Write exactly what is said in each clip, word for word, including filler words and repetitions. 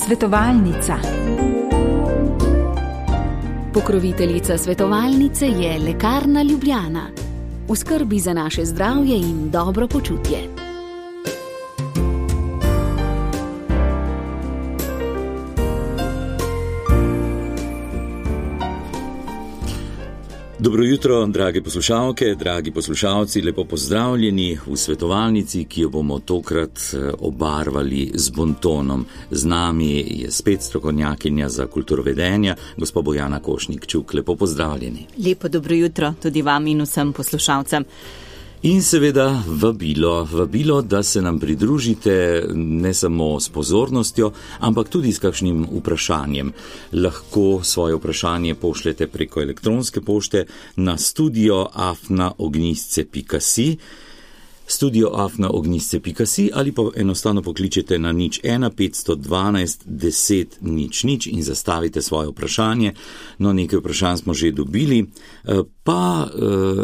Svetovalnica. Pokroviteljica svetovalnice je Lekarna Ljubljana. V skrbi za naše zdravje in dobro počutje. Dobro jutro, drage poslušalke, dragi poslušalci, lepo pozdravljeni v svetovalnici, ki jo bomo tokrat obarvali z bontonom. Z nami je spet strokovnjakinja za kulturovedenja, gospa Bojana Košnik-Čuk. Lepo pozdravljeni. Lepo dobro jutro tudi vam in vsem poslušalcem. In seveda vabilo, vabilo, da se nam pridružite ne samo s pozornostjo, ampak tudi s kakšnim vprašanjem. Lahko svoje vprašanje pošljete preko elektronske pošte na studio afna ognjisce pika si, studio afna ognjisce pika si ali pa enostavno pokličete na nič ena petsto dvanajst deset nič nič in zastavite svoje vprašanje. No, nekaj vprašanj smo že dobili, pa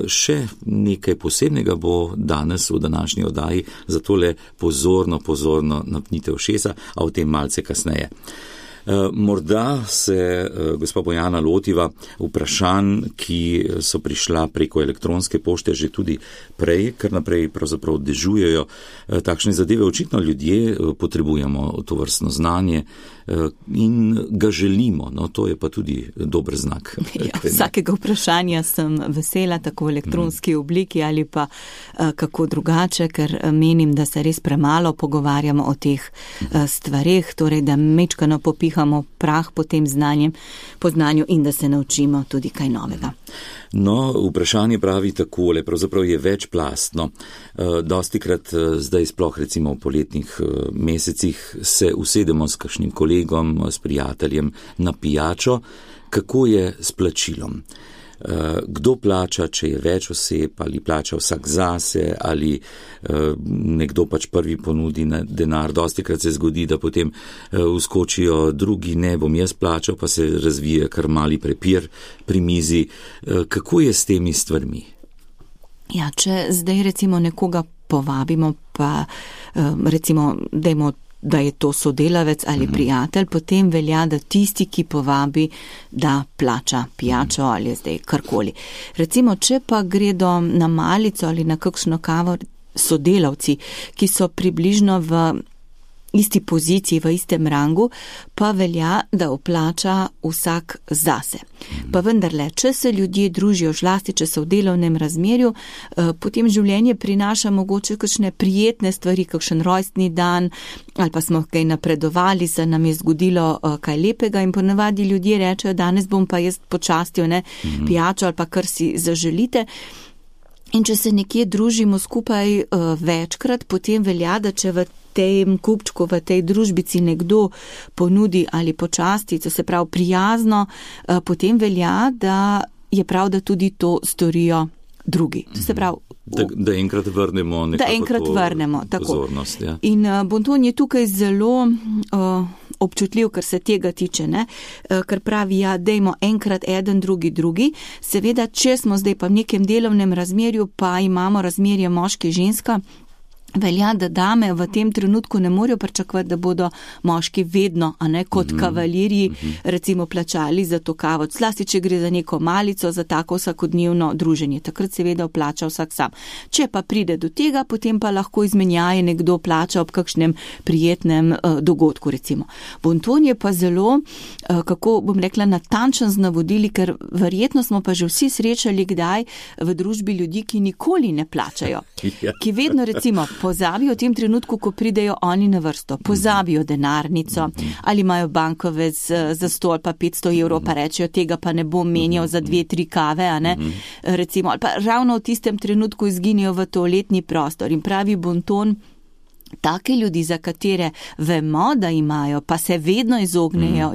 še nekaj posebnega bo danes v današnji oddaji, zato le pozorno, pozorno napnite ušesa, a o tem malce kasneje. Morda se gospa Bojana lotiva vprašanj, ki so prišla preko elektronske pošte že tudi prej, ker naprej pravzaprav dežujejo takšne zadeve. Očitno ljudje potrebujemo to vrstno znanje in ga želimo, no to je pa tudi dober znak. Ja, vsakega vprašanja sem vesela, tako v elektronski obliki ali pa kako drugače, ker menim, da se res premalo pogovarjamo o teh stvareh, torej da mečkano popihamo prah po tem znanjem, po znanju in da se naučimo tudi kaj novega. No, vprašanje pravi takole, pravzaprav je večplastno. Dostikrat zdaj sploh recimo v poletnih mesecih se usedemo s kakšnim kolegom, s prijateljem na pijačo. Kako je s plačilom? Kdo plača, če je več oseb, ali plača vsak zase, ali nekdo pač prvi ponudi denar. Dostikrat se zgodi, da potem vskočijo drugi, ne bom jaz plačal, pa se razvije kar mali prepir pri mizi. Kako je s temi stvarmi? Ja, če zdaj recimo nekoga povabimo, pa recimo dajmo da je to sodelavec ali prijatelj, potem velja, da tisti, ki povabi, da plača pijačo ali zdaj karkoli. Recimo, če pa gredo na malico ali na kakšno kavo sodelavci, ki so približno v isti poziciji, v istem rangu, pa velja, da vplača vsak zase. Pa vendarle, če se ljudje družijo, žlasti, če so v delovnem razmerju, potem življenje prinaša mogoče kakšne prijetne stvari, kakšen rojstni dan, ali pa smo kaj napredovali, se nam je zgodilo kaj lepega in ponavadi ljudje rečejo, danes bom pa jaz počastil, ne, pijačo ali pa kar si zaželite. In če se nekje družimo skupaj uh, večkrat, potem velja, da če v tem kupčku, v tej družbici nekdo ponudi ali počasti, to se pravi prijazno, uh, potem velja, da je prav, da tudi to storijo drugi. To se pravi, da, da enkrat vrnemo nekako da enkrat to vrnemo, tako. Pozornost. Ja. In uh, bonton je tukaj zelo uh, občutljiv, kar se tega tiče, ne? Uh, ker pravi, ja, dejmo enkrat eden, drugi, drugi. Seveda, če smo zdaj pa v nekem delovnem razmerju, pa imamo razmerje moški-ženska, velja, da dame v tem trenutku ne morejo pričakovati, da bodo moški vedno, a ne kot mm-hmm. kavalirji, mm-hmm. recimo plačali za to kavo. Zlasti, če gre za neko malico, za tako vsakodnevno druženje. Takrat seveda plača vsak sam. Če pa pride do tega, potem pa lahko izmenjaje nekdo plača ob kakšnem prijetnem uh, dogodku, recimo. Bonton je pa zelo, uh, kako bom rekla, natančen z navodili, ker verjetno smo pa že vsi srečali kdaj v družbi ljudi, ki nikoli ne plačajo. Ki vedno recimo pozabijo v tem trenutku, ko pridejo oni na vrsto, pozabijo denarnico ali imajo bankovec za sto ali pa petsto evrov, pa rečejo, tega pa ne bom menjal za dve, tri kave, a ne, recimo, ali pa ravno v tistem trenutku izginijo v toaletni prostor in pravi bonton, take ljudi, za katere vemo, da imajo, pa se vedno izognejo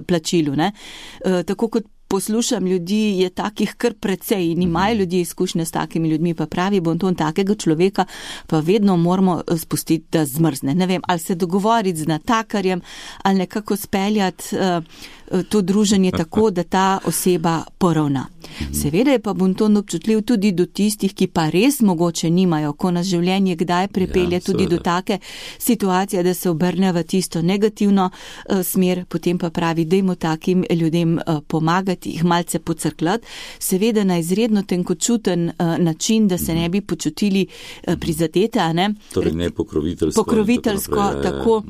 plačilu, ne, tako kot poslušam ljudi, je takih kar precej in imajo ljudje izkušnje s takimi ljudmi, pa pravi bonton, takega človeka pa vedno moramo spustiti, da zmrzne. Ne vem, ali se dogovoriti z natakarjem, ali nekako speljati uh, to druženje tako, da ta oseba poravna. Seveda je pa bonton občutljiv tudi do tistih, ki pa res mogoče nimajo, ko nas življenje kdaj prepelje ja, tudi do take situacije, da se obrne v tisto negativno uh, smer, potem pa pravi, dajmo takim ljudem uh, pomagati, jih malce pocrklati, seveda na izredno tenkočuten uh, način, da se ne bi počutili uh, prizadete, a ne? Torej ne pokroviteljsko. Pokroviteljsko, tako. tako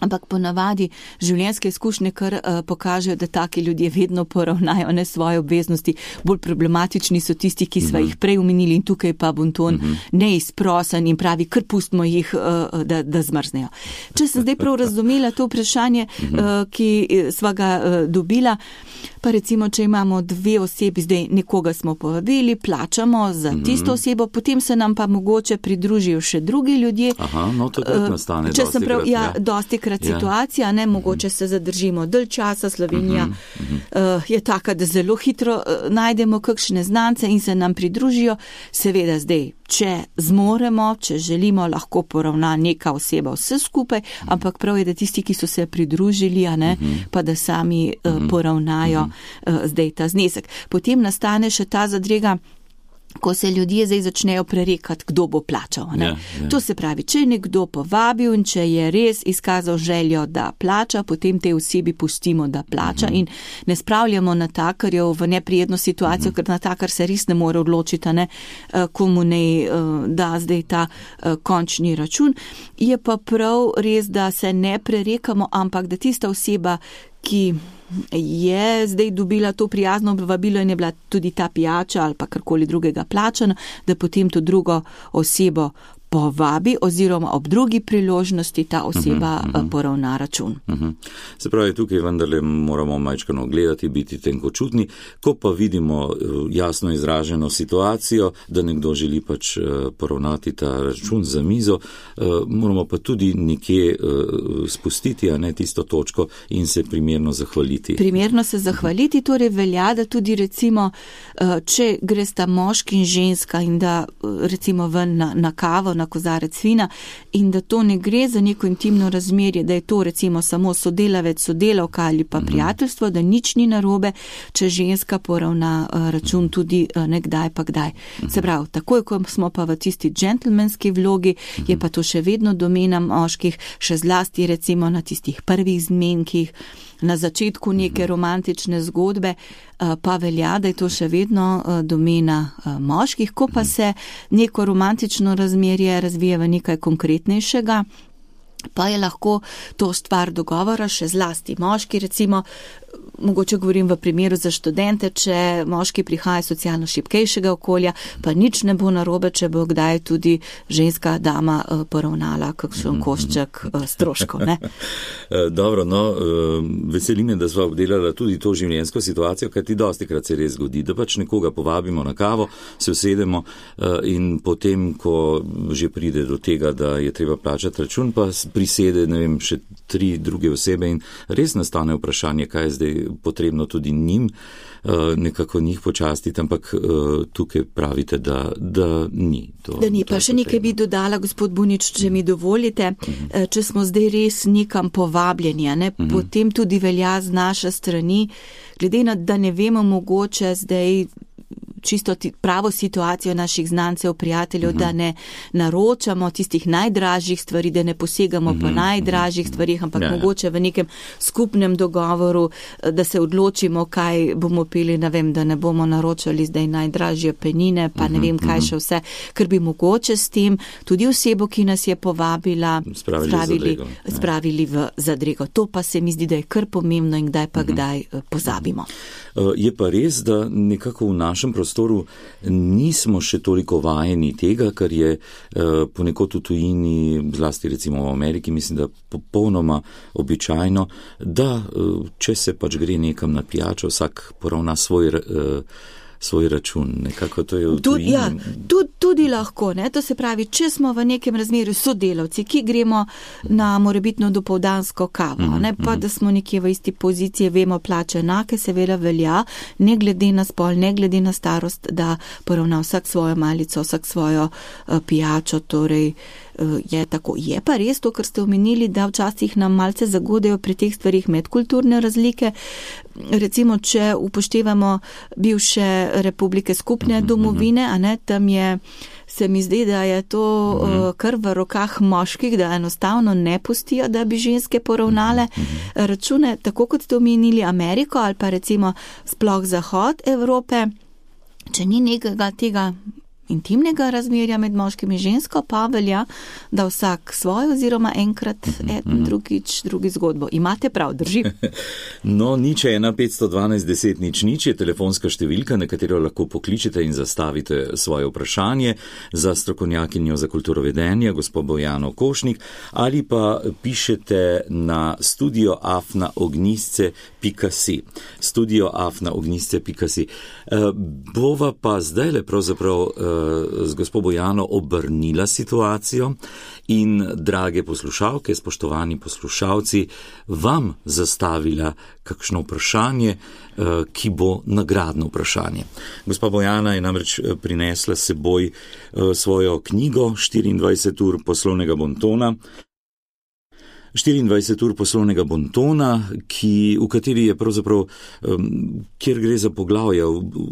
Ampak ponavadi življenjske izkušnje kar uh, pokažejo, da taki ljudje vedno poravnajo ne svoje obveznosti. Bolj problematični so tisti, ki sva uh-huh. jih prej omenili in tukaj pa bonton uh-huh. neizprosen in pravi, kar pustimo jih, uh, da, da zmrznejo. Če sem zdaj prav razumela to vprašanje, uh-huh. uh, ki sva ga uh, dobila, pa recimo, če imamo dve osebi, zdaj nekoga smo povabili, plačamo za uh-huh. tisto osebo, potem se nam pa mogoče pridružijo še drugi ljudje. Aha, no takrat nastane uh, dosti prav, krat. Ja, ja. dosti krat situacija, ne, mogoče se zadržimo dalj časa, Slovenija uh-huh, uh-huh. Uh, je taka, da zelo hitro uh, najdemo kakšne znance in se nam pridružijo. Seveda zdaj, če zmoremo, če želimo, lahko poravna neka oseba vse skupaj, uh-huh. ampak prav je, da tisti, ki so se pridružili, a ne, uh-huh. pa da sami uh, uh-huh. poravnajo uh, zdaj ta znesek. Potem nastane še ta zadrega, ko se ljudje zdaj začnejo prerekati, kdo bo plačal. Ne? Ja, ja. To se pravi, če je nekdo povabil in če je res izkazal željo, da plača, potem te osebi pustimo, da plača uh-huh. in ne spravljamo natakarjev v neprijetno situacijo, uh-huh. ker natakar se res ne more odločiti, ne, komu ne da zdaj ta končni račun. Je pa prav res, da se ne prerekamo, ampak da tista oseba, ki je zdaj dobila to prijazno vabilo in je bila tudi ta pijača ali pa karkoli drugega plačana, da potem to drugo osebo povabi oziroma ob drugi priložnosti ta oseba uh-huh, uh-huh. poravna račun. Uh-huh. Se pravi, tukaj vendarle moramo majčkano gledati, biti tenkočutni, ko pa vidimo jasno izraženo situacijo, da nekdo želi pač poravnati ta račun za mizo, moramo pa tudi nekje spustiti, a ne tisto točko in se primerno zahvaliti. Primerno se zahvaliti, torej velja, da tudi recimo, če gre sta moški in ženska in da recimo ven na, na kavo, na kozarec vina in da to ne gre za neko intimno razmerje, da je to recimo samo sodelavec, sodelavka ali pa prijateljstvo, da nič ni narobe, če ženska poravna račun tudi nekdaj pa kdaj. Se pravi, takoj, ko smo pa v tisti džentlmenski vlogi, je pa to še vedno domena moških, še zlasti recimo na tistih prvih zmenkih, na začetku neke romantične zgodbe, pa velja, da je to še vedno domena moških, ko pa se neko romantično razmerje razvije v nekaj konkretnejšega, pa je lahko to stvar dogovora, še zlasti moški, recimo, mogoče govorim v primeru za študente, če moški prihaja iz socialno šibkejšega okolja, pa nič ne bo narobe, če bo kdaj tudi ženska dama poravnala kakšen košček stroškov, ne? Dobro, no, veseli me, da sva obdelala tudi to življenjsko situacijo, kaj ti dostikrat se res zgodi, da pač nekoga povabimo na kavo, se usedemo in potem, ko že pride do tega, da je treba plačati račun, pa prisede, ne vem, še tri druge osebe in res nastane vprašanje, kaj je zdaj potrebno tudi njim nekako njih počastiti, ampak tukaj pravite, da, da ni. To, da ni, pa še nekaj bi dodala, gospod Bunič, če mi dovolite, uh-huh. če smo zdaj res nekam povabljeni, ne, uh-huh. potem tudi velja z naše strani, glede na, da ne vemo mogoče zdaj čisto pravo situacijo naših znancev, prijateljev, uh-huh. da ne naročamo tistih najdražjih stvari, da ne posegamo uh-huh. po najdražjih stvarih, ampak ja, mogoče v nekem skupnem dogovoru, da se odločimo, kaj bomo pili, ne vem, da ne bomo naročali zdaj najdražje penine, pa uh-huh. ne vem, kaj še vse, ker bi mogoče s tem tudi osebo, ki nas je povabila, spravili, spravili, zadrego, spravili v zadrego. To pa se mi zdi, da je kar pomembno in kdaj pa uh-huh. kdaj pozabimo. Je pa res, da nekako v našem prostoru nismo še toliko vajeni tega, kar je ponekod v tujini, zlasti recimo v Ameriki, mislim, da popolnoma običajno, da če se pač gre nekam na pijačo, vsak poravna svoj svoj račun, nekako to je v tujini. Ja, tudi, tudi lahko, ne, to se pravi, če smo v nekem razmerju sodelavci, ki gremo na morebitno dopoldansko kavo, mm, ne, pa mm. da smo nekje v isti poziciji, vemo plače enake, seveda velja, ne glede na spol, ne glede na starost, da poravna vsak svojo malico, vsak svojo uh, pijačo, torej je tako. Je pa res to, kar ste omenili, da včasih nam malce zagodejo pri teh stvarih medkulturne razlike. Recimo, če upoštevamo bivše republike skupne domovine, a ne, tam je, se mi zdi, da je to kar v rokah moških, da enostavno ne pustijo, da bi ženske poravnale račune, tako kot ste omenili Ameriko ali pa recimo sploh zahod Evrope. Če ni nekega tega intimnega razmerja med moškim in žensko, pa velja, da vsak svoj oziroma enkrat eden, drugič, drugi zgodbo. Imate prav, drži? No, nič ena petsto dvanajst deset nič nič je telefonska številka, na katero lahko pokličete in zastavite svoje vprašanje za strokovnjakinjo za kulturovedenje, gospod Bojano Košnik, ali pa pišete na studio afna ognjisce pika si. studio afna ognjisce pika si. Bova pa zdaj le pravzaprav z gospod Bojano obrnila situacijo in, drage poslušalke, spoštovani poslušalci, vam zastavila kakšno vprašanje, ki bo nagradno vprašanje. Gospa Bojana je namreč prinesla s seboj svojo knjigo štiriindvajset ur poslovnega bontona, štiriindvajset ur poslovnega bontona, ki, v kateri je pravzaprav, kjer gre za poglavja,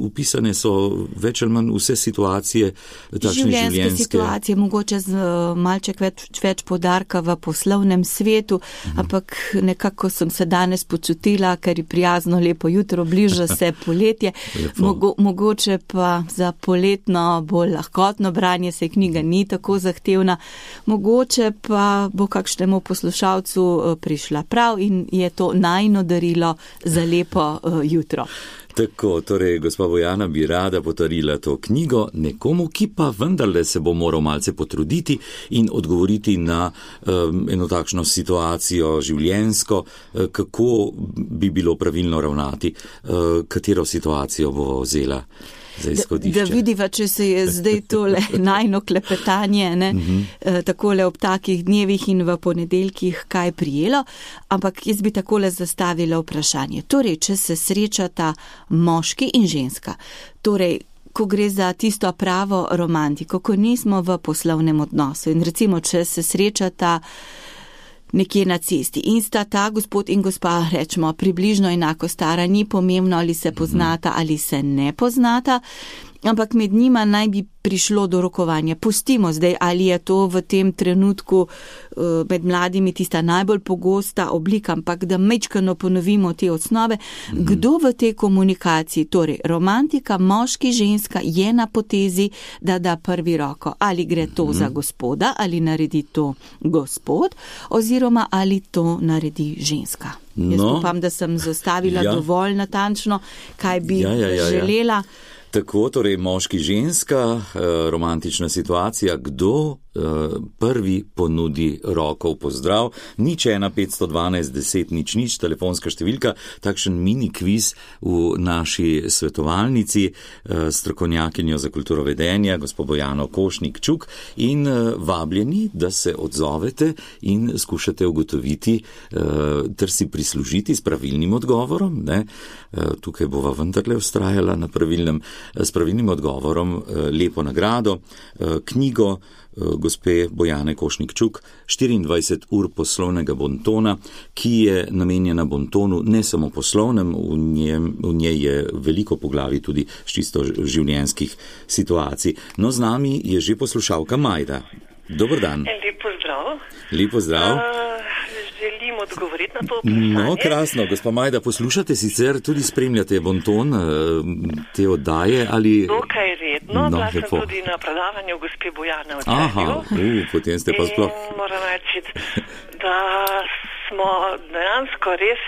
upisane so več ali manj vse situacije, takšne življenjske. Življenjske situacije, mogoče z malček več, več poudarka v poslovnem svetu, mhm. ampak nekako sem se danes počutila, ker je prijazno lepo jutro, bliža se poletje, Mogo, mogoče pa za poletno bolj lahkotno branje se knjiga ni tako zahtevna, mogoče pa bo kakšnemu poslušalcu prišla prav in je to najino darilo za lepo uh, jutro. Tako, torej, gospa Bojana bi rada podarila to knjigo nekomu, ki pa vendarle se bo moral malce potruditi in odgovoriti na um, eno takšno situacijo življenjsko, uh, kako bi bilo pravilno ravnati, uh, katero situacijo bo vzela. Da, da vidiva, če se je zdaj tole najno klepetanje, ne, uh-huh. takole ob takih dnevih in v ponedeljkih kaj prijelo, ampak jaz bi takole zastavila vprašanje. Torej, če se srečata moški in ženska, torej, ko gre za tisto pravo romantiko, ko nismo v poslovnem odnosu in recimo, če se srečata nekje na cesti in sta ta gospod in gospa, rečemo, približno enako stara, ni pomembno, ali se poznata ali se ne poznata, ampak med njima naj bi prišlo do rokovanja. Pustimo zdaj, ali je to v tem trenutku uh, med mladimi tista najbolj pogosta oblika, ampak da mečkano ponovimo te osnove. Mm-hmm. Kdo v tej komunikaciji, torej romantika, moški, ženska, je na potezi, da da prvi roko? Ali gre to mm-hmm. za gospoda, ali naredi to gospod, oziroma ali to naredi ženska? No. Jaz upam, da sem zastavila ja. dovolj natančno, kaj bi ja, ja, ja, ja. želela. Tako, torej moški, ženska, romantična situacija, kdo prvi ponudi roko v pozdrav. Nič ena petsto dvanajst deset nič nič, telefonska številka, takšen mini kviz v naši svetovalnici, strokovnjakinjo za kulturovedenja, gospod Bojano Košnik Čuk, in vabljeni, da se odzovete in skušate ugotoviti ter si prislužiti s pravilnim odgovorom. Ne? Tukaj bova vendarle vztrajala na pravilnem, s pravilnim odgovorom lepo nagrado, knjigo gospe Bojane Košnik Čuk, štiriindvajset ur poslovnega bontona, ki je namenjena bontonu ne samo poslovnem, v, njem, v njej je veliko poglavij tudi čisto življenjskih situacij. No, z nami je že poslušalka Majda. Dober dan. Lep pozdrav. Lep pozdrav. Uh, želim odgovoriti na to vprašanje. No, krasno. Gospa Majda, poslušate sicer, tudi spremljate bonton, te oddaje ali... Dokaj redno, no, bila sem tudi na predavanju gospe Bojane v Celju. Aha, uh, potem ste pa sploh... In moram reči, da smo dejansko res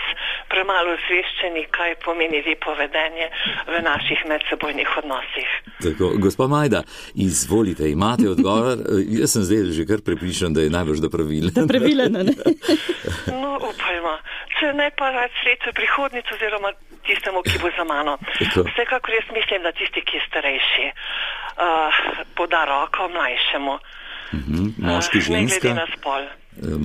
premalo osveščeni, kaj pomeni lepo vedenje v naših medsebojnih odnosih. Tako, gospa Majda, izvolite, imate odgovor? Jaz sem zdaj že kar prepričan, da je najbolj da pravilen. Da pravilen, ne? No, upajmo. Če ne pa rad sreče prihodnic oziroma tistemu, ki bo za mano. Tako. Vsekakor jaz mislim, da tisti, ki je starejši, uh, poda roko mlajšemu. Uh-huh. Moški, ženska. Ne glede na spol.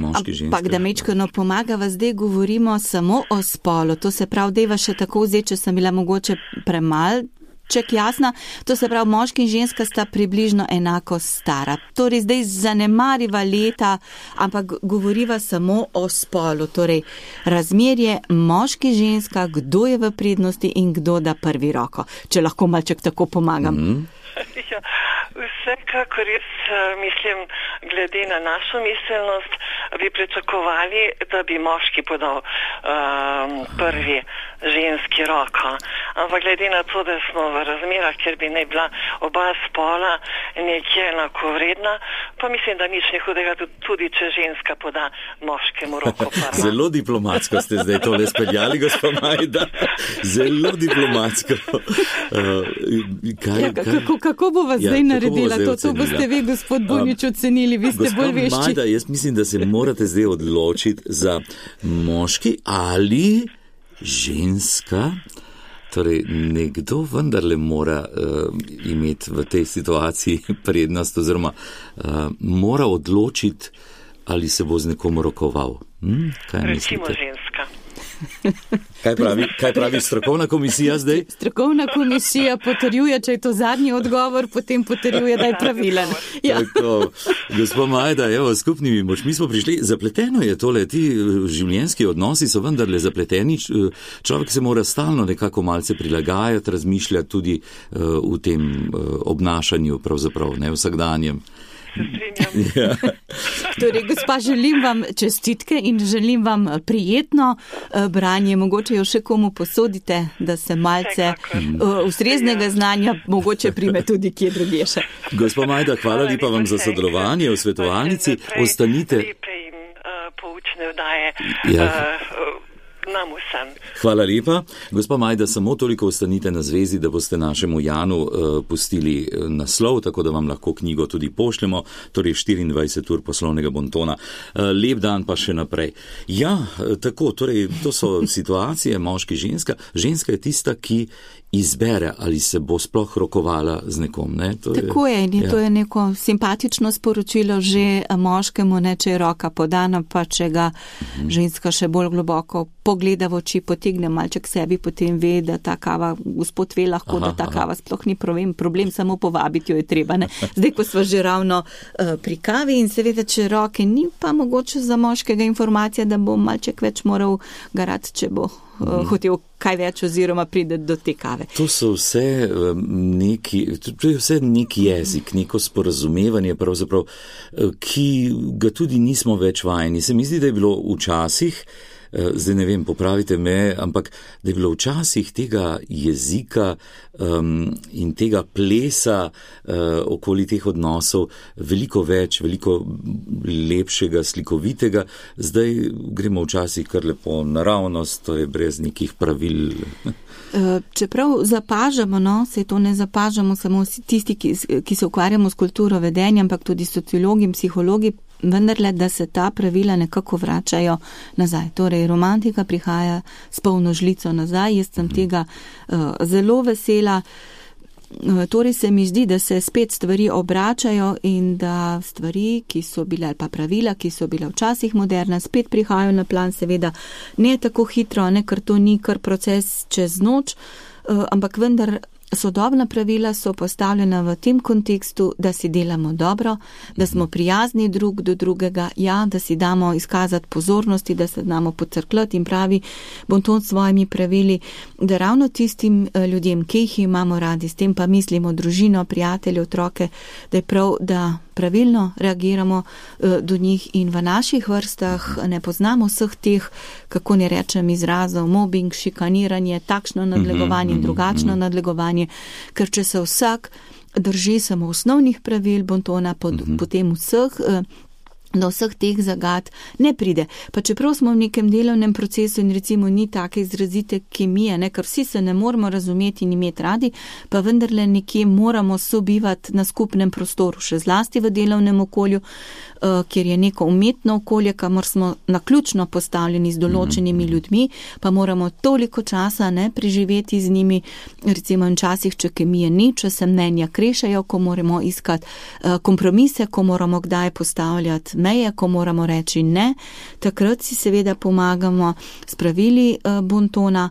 Moški, ženska. Ampak da mečkano pomaga, vas zdaj govorimo samo o spolu. To se prav deva še tako vzeti, če sem bila mogoče premal malček jasna, to se pravi, moški in ženska sta približno enako stara. Torej, zdaj zanemariva leta, ampak govoriva samo o spolu. Torej, razmerje moški, ženska, kdo je v prednosti in kdo da prvi roko. Če lahko malček tako pomagam. Mm-hmm. Ja, vsekakor res mislim, glede na našo miselnost, bi pričakovali, da bi moški podal um, prvi ženski roko. Ampak glede na to, da smo v razmerah, kjer bi ne bila oba spola nekje enakovredna, pa mislim, da nič ne hudega, tudi če ženska poda moškemu roko prva. Zelo diplomatsko ste zdaj tole speljali, gospod Majda. Zelo diplomatsko. Uh, kaj, ja, kako, kako bo vas ja, zdaj naredila? Zdaj to, to boste vi, gospod Bunič, ocenili, vi ste bolj vešči. Gospod Majda, jaz mislim, da se morate zdaj odločiti za moški ali ženska. Torej, nekdo vendarle mora uh, imeti v tej situaciji prednost oziroma uh, mora odločiti, ali se bo z nekom rokoval. Hm? Kaj Recimo mislite? ženska. Kaj pravi, kaj pravi strokovna komisija zdaj? Strokovna komisija potrjuje, če je to zadnji odgovor, potem potrjuje, da je pravilen. Ja. Tako, gospod Majda, evo, skupnimi močmi smo prišli. Zapleteno je tole, ti življenjski odnosi so vendarle zapleteni. Človek se mora stalno nekako malce prilagajati, razmišljati tudi uh, v tem uh, obnašanju, pravzaprav, ne vsakdanjem. Ja. Torej, gospa, želim vam čestitke in želim vam prijetno branje. Mogoče jo še komu posodite, da se malce ustreznega znanja mogoče prime tudi kje drugje še. Gospa Majda, hvala lepa vam za sodelovanje v svetovalnici. Ostanite. Poučne vdaje. Ja. Nam vsem. Hvala lepa. Gospa Majda, samo toliko ostanite na zvezi, da boste našemu Janu uh, pustili naslov, tako da vam lahko knjigo tudi pošljemo, torej štiriindvajset ur poslovnega bontona. Uh, lep dan pa še naprej. Ja, tako, torej, to so situacije moški, ženska. Ženska je tista, ki izbere, ali se bo sploh rokovala z nekom. Ne? To tako je, in ja. To je neko simpatično sporočilo že moškemu, ne, če je roka podana, pa če ga mhm. ženska še bolj globoko pogleda v oči, potegne malček sebi, potem ve, da ta kava, gospod ve lahko, aha, da ta kava sploh ni problem, problem samo povabiti jo je treba. Ne? Zdaj, ko smo že ravno uh, pri kavi in seveda, če roke ni, pa mogoče za moškega informacija, da bo malček več moral garati, če bo uh, hotel kaj več oziroma pride do te kave. To so vse neki, to je vse neki jezik, neko sporazumevanje pravzaprav, ki ga tudi nismo več vajeni. Se mi zdi, da je bilo včasih, zdaj ne vem, popravite me, ampak da je bilo včasih tega jezika um, in tega plesa uh, okoli teh odnosov veliko več, veliko lepšega, slikovitega. Zdaj gremo včasih kar lepo naravnost, to je brez nekih pravil. Čeprav zapažamo, no, se to ne zapažamo samo tisti, ki, ki se ukvarjamo s kulturo vedenja, ampak tudi sociologi in psihologi, vendarle, da se ta pravila nekako vračajo nazaj. Torej, romantika prihaja s polno žlico nazaj, jaz sem tega uh, zelo vesela. Torej se mi zdi, da se spet stvari obračajo in da stvari, ki so bile, ali pa pravila, ki so bile včasih moderne, spet prihajajo na plan, seveda ne tako hitro, ne, ker to ni kar proces čez noč, ampak vendar sodobna pravila so postavljena v tem kontekstu, da si delamo dobro, da smo prijazni drug do drugega, ja, da si damo izkazati pozornosti, da se damo pocrkljati in pravi bonton s svojimi pravili, da ravno tistim ljudem, ki jih imamo radi, s tem pa mislimo družino, prijatelje, otroke, da je prav, da pravilno reagiramo do njih in v naših vrstah ne poznamo vseh teh, kako ne rečem, izrazov, mobbing, šikaniranje, takšno nadlegovanje in drugačno nadlegovanje, ker če se vsak drži samo osnovnih pravil bontona, pod, potem vseh do vseh teh zagad ne pride. Pa čeprav smo v nekem delovnem procesu in recimo ni take izrazite kemije, ne, ker vsi se ne moramo razumeti in imeti radi, pa vendarle nekje moramo sobivati na skupnem prostoru, še zlasti v delovnem okolju, uh, kjer je neko umetno okolje, kamor smo naključno postavljeni z določenimi ljudmi, pa moramo toliko časa ne preživeti z njimi, recimo in časih, če kemije ni, če se mnenja krešajo, ko moramo iskati uh, kompromise, ko moramo kdaj postavljati meje, ko moramo reči ne, takrat si seveda pomagamo s pravili bontona,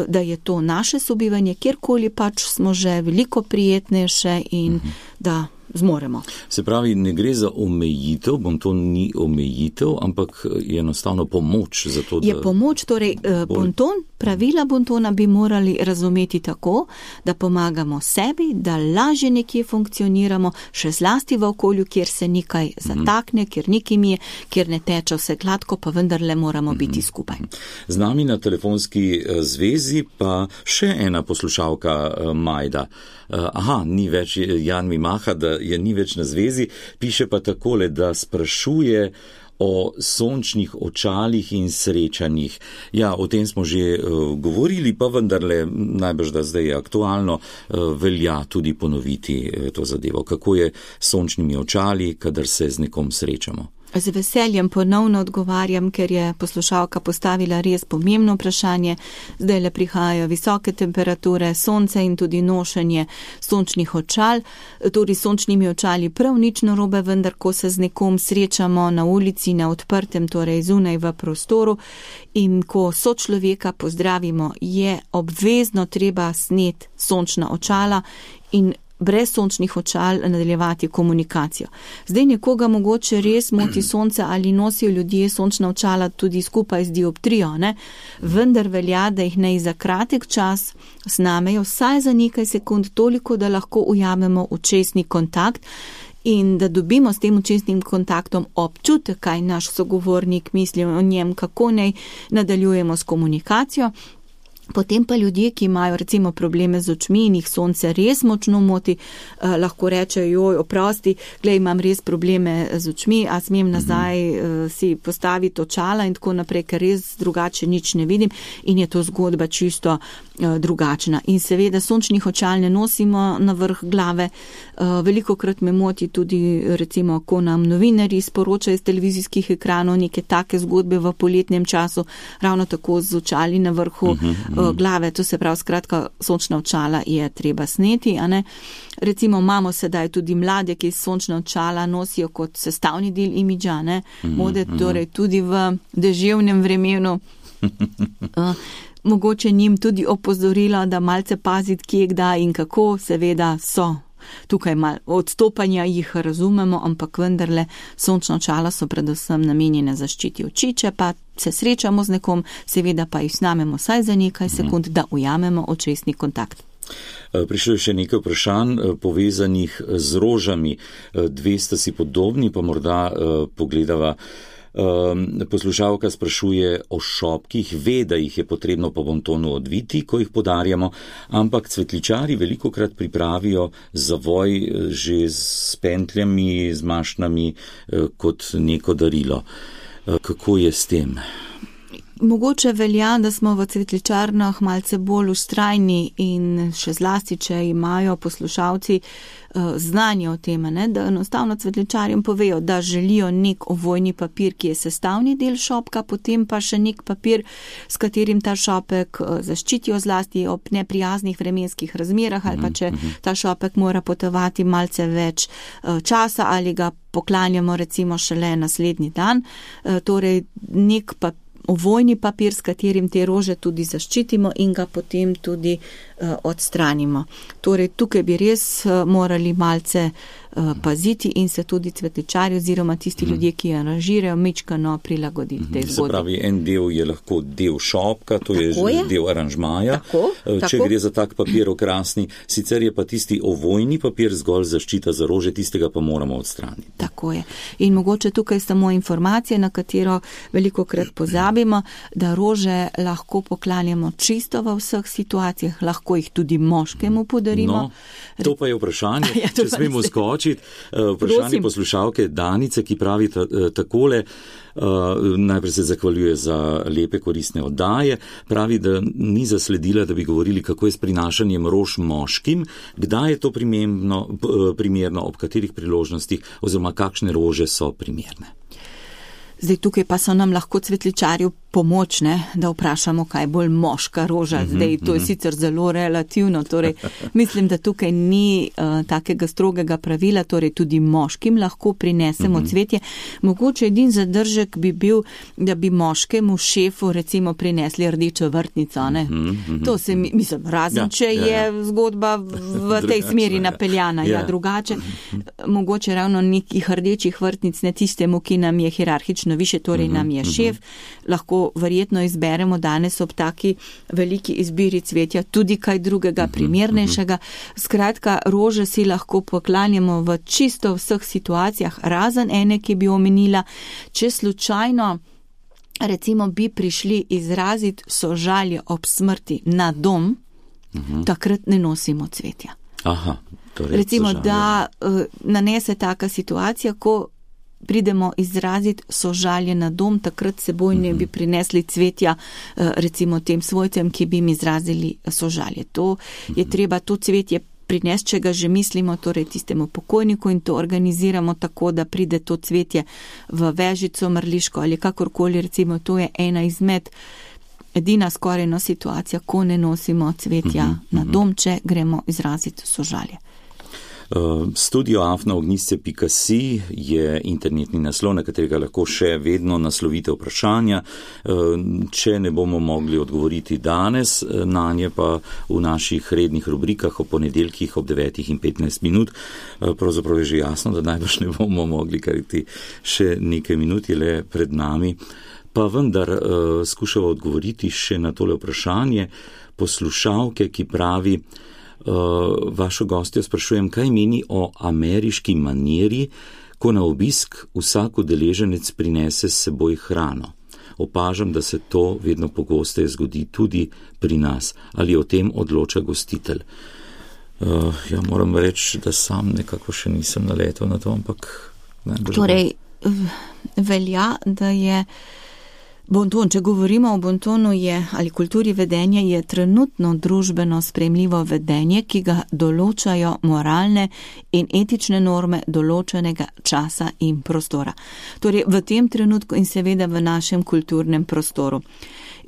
da je to naše sobivanje, kjerkoli pač smo že veliko prijetnejše in mhm. da zmoremo. Se pravi, ne gre za omejitev, bonton ni omejitev, ampak je enostavno pomoč za to, da... Je pomoč, torej bonton, pravila bontona bi morali razumeti tako, da pomagamo sebi, da lažje nekje funkcioniramo, še zlasti v okolju, kjer se nekaj zatakne, kjer nekaj je, kjer ne teče vse gladko, pa vendarle moramo biti skupaj. Z nami na telefonski zvezi pa še ena poslušalka Majda. Aha, ni več Jan Mimaha, da je ni več na zvezi, piše pa takole, da sprašuje o sončnih očalih in srečanjih. Ja, o tem smo že uh, govorili, pa vendarle najbrž, da zdaj je aktualno, uh, velja tudi ponoviti uh, to zadevo. Kako je s sončnimi očali, kadar se z nekom srečamo? Z veseljem ponovno odgovarjam, ker je poslušalka postavila res pomembno vprašanje. Zdaj le prihajajo visoke temperature, sonce in tudi nošenje sončnih očal. Tudi sončnimi očali prav nič narobe, vendar ko se z nekom srečamo na ulici, na odprtem, torej zunaj v prostoru in ko sočloveka pozdravimo, je obvezno treba sneti sončna očala in brez sončnih očal nadaljevati komunikacijo. Zdaj nekoga mogoče res moti sonce ali nosijo ljudje sončna očala tudi skupaj z dioptrijo, ne? Vendar velja, da jih naj za kratek čas snamejo vsaj za nekaj sekund toliko, da lahko ujamemo očesni kontakt in da dobimo s tem očesnim kontaktom občutek, kaj naš sogovornik misli o njem, kako naj nadaljujemo s komunikacijo. Potem pa ljudje, ki imajo recimo probleme z očmi in jih sonce res močno moti, eh, lahko rečejo, joj, oprosti, glej, imam res probleme z očmi, a smem nazaj eh, si postaviti očala in tako naprej, ker res drugače nič ne vidim in je to zgodba čisto eh, drugačna. In seveda sončnih očal ne nosimo na vrh glave. Eh, velikokrat me moti tudi recimo, ko nam novinarji sporočajo iz televizijskih ekranov neke take zgodbe v poletnem času, ravno tako z očali na vrhu uh-huh. glave, to se pravi, skratka, sončna očala je treba sneti, a ne. Recimo imamo sedaj tudi mlade, ki sončna očala nosijo kot sestavni del imidža, ne, mode, torej tudi v deževnem vremenu. Uh, mogoče njim tudi opozorilo, da malce paziti, kje, kdaj in kako, seveda so. Tukaj malo odstopanja jih razumemo, ampak vendarle sončna očala so predvsem namenjene zaščiti oči, če pa se srečamo z nekom, seveda pa jih snamemo vsaj za nekaj sekund, da ujamemo očesni kontakt. Prišlo je še nekaj vprašanj povezanih z rožami. Dve sta si podobni, pa morda pogledava. Poslušalka sprašuje o šopkih, ve, da jih je potrebno po bontonu odviti, ko jih podarjamo, ampak cvetličari velikokrat pripravijo zavoj že s pentljami, z mašnami kot neko darilo. Kako je s tem? Mogoče velja, da smo v cvetličarnah malce bolj vztrajni in še zlasti, če imajo poslušalci znanje o tem, ne, da enostavno cvetličarjem povejo, da želijo nek ovojni papir, ki je sestavni del šopka, potem pa še nek papir, s katerim ta šopek zaščitijo zlasti ob neprijaznih vremenskih razmerah ali pa če ta šopek mora potovati malce več časa ali ga poklanjamo recimo šele naslednji dan. Torej nek papir, ovojni papir, s katerim te rože tudi zaščitimo in ga potem tudi uh, odstranimo. Torej, tukaj bi res uh, morali malce uh, paziti in se tudi cvetličari oziroma tisti mm. ljudje, ki aranžirajo, mičkano prilagoditi mm. tej zgodbi. Se pravi, en del je lahko del šopka, to je, je del aranžmaja. Tako, Če tako. gre za tak papir okrasni, sicer je pa tisti ovojni papir zgolj zaščita za rože, tistega pa moramo odstraniti. Tako je. In mogoče tukaj samo informacije, na katero velikokrat pozabimo, da rože lahko poklanjamo čisto v vseh situacijah, lahko jih tudi moškemu podarimo. No, to pa je vprašanje, ja, če smemo skočiti. Vprašanje Prosim. Poslušalke Danice, ki pravi ta, takole, uh, najprej se zahvaljuje za lepe koristne oddaje, pravi, da ni zasledila, da bi govorili, kako je s prinašanjem rož moškim, kdaj je to primerno, primerno, ob katerih priložnostih oziroma kakšne rože so primerne. Zdaj tukaj pa so nam lahko cvetličarju pomoč, ne, da vprašamo, kaj je bolj moška roža. Zdaj, to je sicer zelo relativno, torej mislim, da tukaj ni uh, takega strogega pravila, torej tudi moškim lahko prinesemo cvetje. Mogoče edin zadržek bi bil, da bi moškemu šefu recimo prinesli rdečo vrtnico, ne. To se mi, mislim, razen, ja, če ja, ja. je zgodba v tej smeri napeljana, ja, ja drugače. Mogoče ravno nekih rdečih vrtnic, ne tistemu, ki nam je hierarhično više, torej nam je šef, lahko verjetno izberemo danes ob taki veliki izbiri cvetja tudi kaj drugega primernejšega. Skratka, rože si lahko poklanjamo v čisto vseh situacijah, razen ene, ki bi omenila, če slučajno recimo bi prišli izraziti sožalje ob smrti na dom, uh-huh. takrat ne nosimo cvetja. Aha, torej recimo, sožalje. Da uh, nanese taka situacija, ko pridemo izraziti sožalje na dom, takrat seboj ne bi prinesli cvetja recimo tem svojcem, ki bi jim izrazili sožalje. To je treba, to cvetje prinesti, če ga že mislimo, torej tistemu pokojniku, in to organiziramo tako, da pride to cvetje v vežico, mrliško ali kakorkoli, recimo to je ena izmed edina skorajno situacija, ko ne nosimo cvetja na dom, če gremo izraziti sožalje. Studio afna ognjišče pika si je internetni naslov, na katerega lahko še vedno naslovite vprašanja. Če ne bomo mogli odgovoriti danes, na nje pa v naših rednih rubrikah o ponedeljkih ob devetih in petnajst minut. Pravzaprav je že jasno, da najbrž ne bomo mogli, kajti še nekaj minut je le pred nami. Pa vendar skušava odgovoriti še na tole vprašanje poslušalke, ki pravi, Uh, vašo gostjo sprašujem, kaj meni o ameriški maniri, ko na obisk vsak udeleženec prinese s seboj hrano. Opažam, da se to vedno pogosteje zgodi tudi pri nas. Ali o tem odloča gostitelj? Uh, ja, moram reči, da sam nekako še nisem naletel na to, ampak... Ne, torej, velja, da je bonton, če govorimo o bontonu je, ali kulturi vedenja, je trenutno družbeno sprejemljivo vedenje, ki ga določajo moralne in etične norme določenega časa in prostora. Torej v tem trenutku in seveda v našem kulturnem prostoru.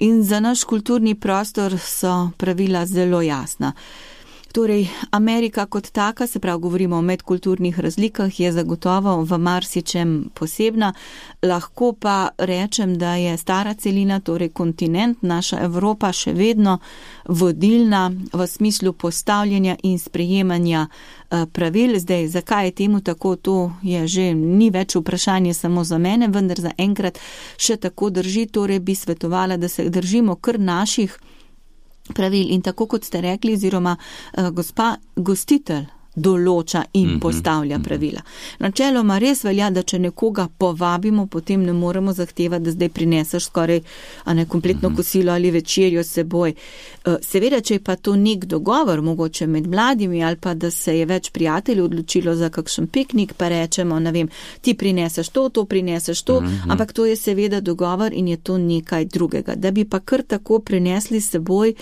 In za naš kulturni prostor so pravila zelo jasna. Torej, Amerika kot taka, se pravi, govorimo o medkulturnih razlikah, je zagotovo v marsičem posebna. Lahko pa rečem, da je stara celina, torej kontinent, naša Evropa še vedno vodilna v smislu postavljanja in sprejemanja pravil. Zdaj, zakaj je temu tako, to je že ni več vprašanje samo za mene, vendar za enkrat še tako drži, torej bi svetovala, da se držimo kar naših pravil in tako kot ste rekli, oziroma uh, gospa gostitelj določa in postavlja pravila. Načeloma res velja, da če nekoga povabimo, potem ne moremo zahtevati, da zdaj prineseš skoraj a ne kompletno kosilo ali večerjo s seboj. Seveda, če je pa to nek dogovor, mogoče med mladimi, ali pa da se je več prijateljev odločilo za kakšen piknik, pa rečemo, ne vem, ti prineseš to, to prineseš to, ampak to je seveda dogovor in je to nekaj drugega. Da bi pa kar tako prinesli s seboj,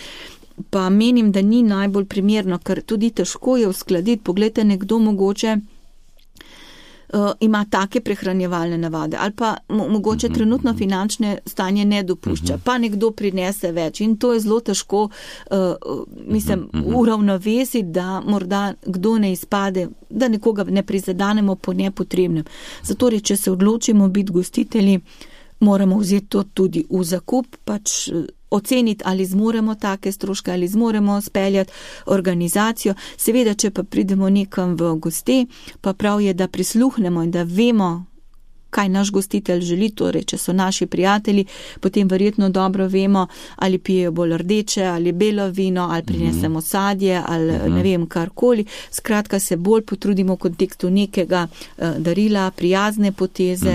pa menim, da ni najbolj primerno, ker tudi težko je uskladiti. Poglejte, nekdo mogoče uh, ima take prehranjevalne navade ali pa mo- mogoče trenutno finančne stanje ne dopušča, pa nekdo prinese več in to je zelo težko uh, mislim, uravnovesiti, da morda kdo ne izpade, da nekoga ne prizadanemo po nepotrebnem. Zato, če se odločimo biti gostitelji, moramo vzeti to tudi v zakup, pač oceniti, ali zmoremo take stroške, ali zmoremo speljati organizacijo. Seveda, če pa pridemo nekam v goste, pa prav je, da prisluhnemo in da vemo, kaj naš gostitelj želi, torej, če so naši prijatelji, potem verjetno dobro vemo, ali pijejo bolj rdeče, ali belo vino, ali prinesemo sadje, ali ne vem, karkoli. Skratka, se bolj potrudimo v kontekstu nekega uh, darila, prijazne poteze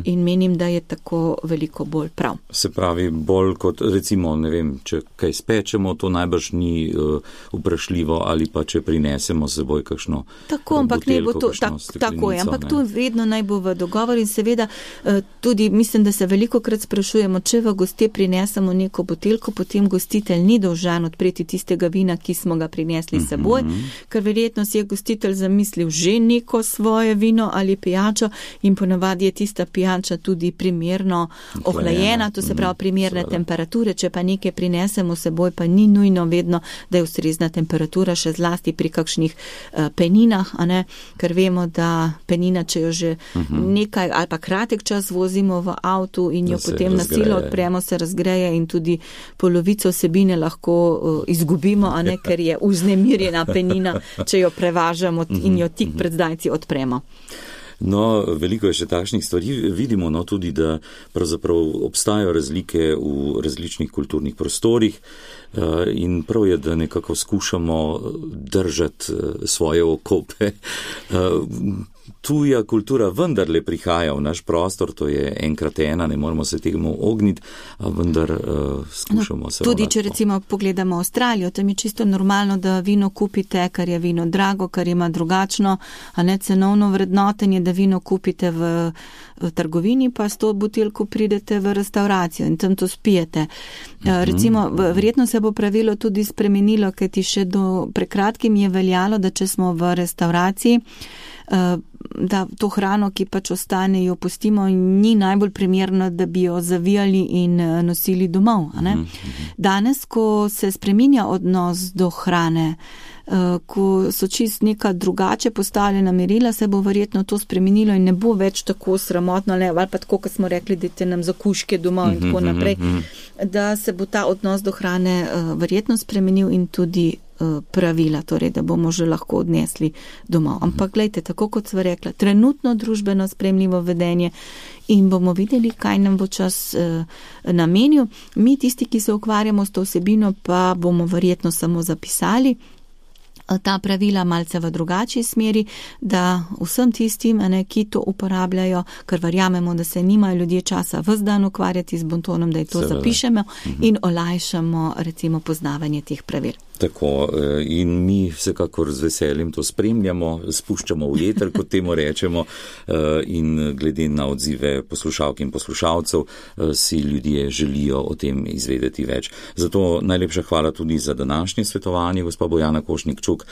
in menim, da je tako veliko bolj prav. Se pravi, bolj kot, recimo, ne vem, če kaj spečemo, to najbrž ni uh, vprašljivo, ali pa če prinesemo s seboj kakšno tako, ampak buteljko, ne bo to, kakšno tak, tako je, ampak ne. to vedno naj bo v dogovoru in seveda tudi mislim, da se veliko krat sprašujemo, če v goste prinesemo neko buteljko, potem gostitelj ni dolžan odpreti tistega vina, ki smo ga prinesli s seboj, mm-hmm. ker verjetno si je gostitelj zamislil že neko svoje vino ali pijačo in ponavadi je tista pijača tudi primerno ohlajena, to se pravi primerne mm-hmm. temperature, če pa nekaj prinesemo s seboj, pa ni nujno vedno, da je ustrezna temperatura, še zlasti pri kakšnih uh, peninah, a ne, ker vemo, da penina, če jo že uh-huh. nekaj ali pa kratek čas vozimo v avtu in jo potem na silo odpremo, se razgreje in tudi polovico vsebine lahko uh, izgubimo, a ne, ker je vznemirjena penina, če jo prevažamo uh-huh. in jo tik pred zdajci odpremo. No, veliko je še takšnih stvari. Vidimo no, tudi, da pravzaprav obstajajo razlike v različnih kulturnih prostorih in prav je, da nekako skušamo držati svoje okope. Tuja kultura vendarle prihaja v naš prostor, to je enkrat ena, ne moramo se temu ogniti, a vendar uh, skušamo se... No, tudi, če recimo pogledamo Avstralijo, tam je čisto normalno, da vino kupite, kar je vino drago, kar ima drugačno, a ne cenovno vrednotenje, da vino kupite v, v trgovini, pa s to buteljko pridete v restauracijo in tam to spijete. Uh, recimo, verjetno se bo pravilo tudi spremenilo, ker ti še do prekratkim je veljalo, da če smo v restauraciji, da to hrano, ki pač ostane, jo pustimo in ni najbolj primerno, da bi jo zavijali in nosili domov. A ne? Danes, ko se spreminja odnos do hrane, ko so čist neka drugače postavljena merila, se bo verjetno to spremenilo in ne bo več tako sramotno, ali pa tako, kot smo rekli, dajte nam za kuške domov in tako naprej, da se bo ta odnos do hrane verjetno spremenil in tudi pravila, torej, da bomo že lahko odnesli domov. Ampak gledajte, tako kot sva rekla, trenutno družbeno spremljivo vedenje in bomo videli, kaj nam bo čas uh, namenil. Mi, tisti, ki se ukvarjamo s to vsebino, pa bomo verjetno samo zapisali ta pravila malce v drugačji smeri, da vsem tistim, ne, ki to uporabljajo, ker verjamemo, da se nimajo ljudje časa ves dan ukvarjati z bontonom, da je to Seveda. zapišemo mhm. in olajšamo recimo poznavanje teh pravil. Tako, in mi vsekakor z veseljem to spremljamo, spuščamo v eter, kot temu rečemo, in glede na odzive poslušalk in poslušalcev si ljudje želijo o tem izvedeti več. Zato najlepša hvala tudi za današnje svetovanje, gospa Bojana Košnik-Čuk,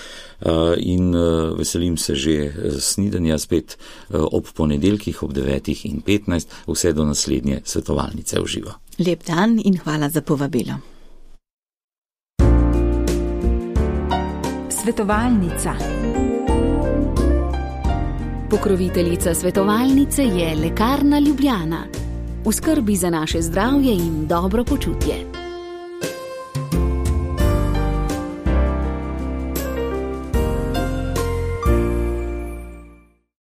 in veselim se že snidanja spet ob ponedeljkih ob devetih in petnajst, vse do naslednje svetovalnice v živo. Lep dan in hvala za povabilo. Svetovalnica. Pokroviteljica svetovalnice je Lekarna Ljubljana. V skrbi za naše zdravje in dobro počutje.